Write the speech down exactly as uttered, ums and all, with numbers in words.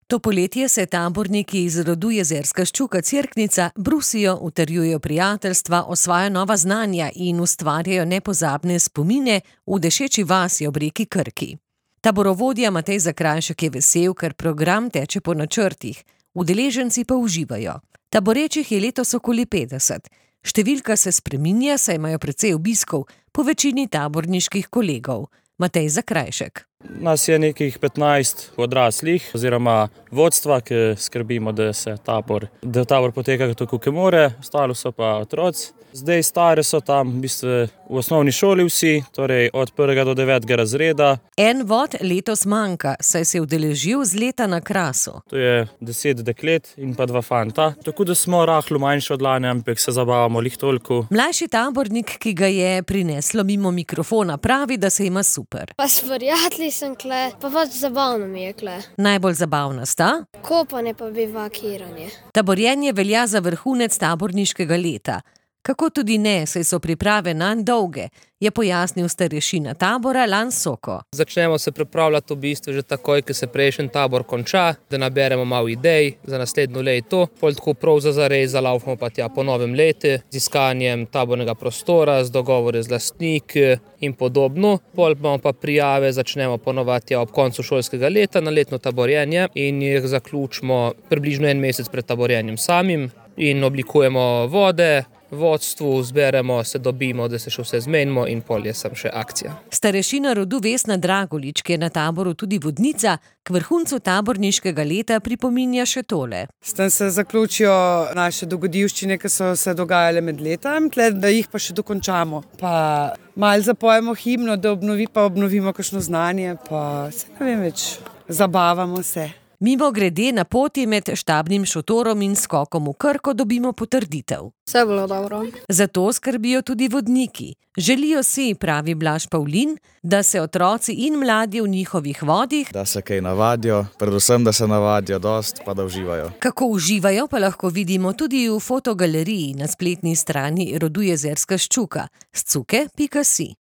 To poletje se taborniki iz rodu Jezerska ščuka Cerknica brusijo, utrjujejo prijateljstva, osvajajo nova znanja in ustvarjajo nepozabne spomine v dešeči vasi ob reki Krki. Taborovodja Matej Zakrajšek je vesel, ker program teče po načrtih, udeleženci pa uživajo. Taborečih je letos okoli petdeset. Številka se spreminja, saj imajo precej obiskov, po večini taborniških kolegov. Matej Zakrajšek. Nas je nekih petnajst odraslih oziroma vodstva, ki skrbimo, da se tabor, da tabor poteka tako, kot more, ostalo so pa otroci. Zdaj stare so tam v bistvu v osnovni šoli vsi, torej od prvega do devetega razreda. En vod letos manjka, saj se je udeležil z leta na Krasu. To je deset deklet in pa dva fanta. Tako da smo rahlo manjši od lani, ampak se zabavamo lih toliko. Mlajši tabornik, ki ga je prineslo mimo mikrofona, pravi, da se ima super. Pa s prijatelji sem kle, pa pač zabavno mi je kle. Najbolj zabavna sta? Kopanje pa bivakiranje. Taborjenje velja za vrhunec taborniškega leta. Kako tudi ne, saj so priprave nanj dolge, je pojasnil starešina tabora Lan Soko. Začnemo se pripravljati v bistvu že takoj, ko se prejšnji tabor konča, da naberemo malo idej za naslednjo leto. Pol tako prav za zares zalaufamo pa tja po novem letu, z iskanjem tabornega prostora, z dogovore z lastniki in podobno. Pol imamo pa prijave, začnemo ponovati ob koncu šolskega leta na letno taborjenje in jih zaključimo približno en mesec pred taborjenjem samim in oblikujemo vode, vodstvu, zberemo, se dobimo, da se še vse zmenimo in pol je sem še akcija. Starešina rodu Vesna Dragolič, ki je na taboru tudi vodnica, k vrhuncu taborniškega leta pripominja še tole. S tem se zaključijo naše dogodivščine, ki so se dogajale med letom, tle, da jih pa še dokončamo. Pa malo zapojemo himno, da obnovi, pa obnovimo kakšno znanje, pa se ne vem več, zabavamo se. Mimo grede na poti med štabnim šotorom in skokom v Krko dobimo potrditev. Vse bilo dobro. Zato skrbijo tudi vodniki. Želijo si, pravi Blaž Pavlin, da se otroci in mladi v njihovih vodih, da se kaj navadijo, predvsem da se navadijo dost, pa da uživajo. Kako uživajo, pa lahko vidimo tudi v fotogaleriji na spletni strani rodu Jezerska ščuka scuke pika si.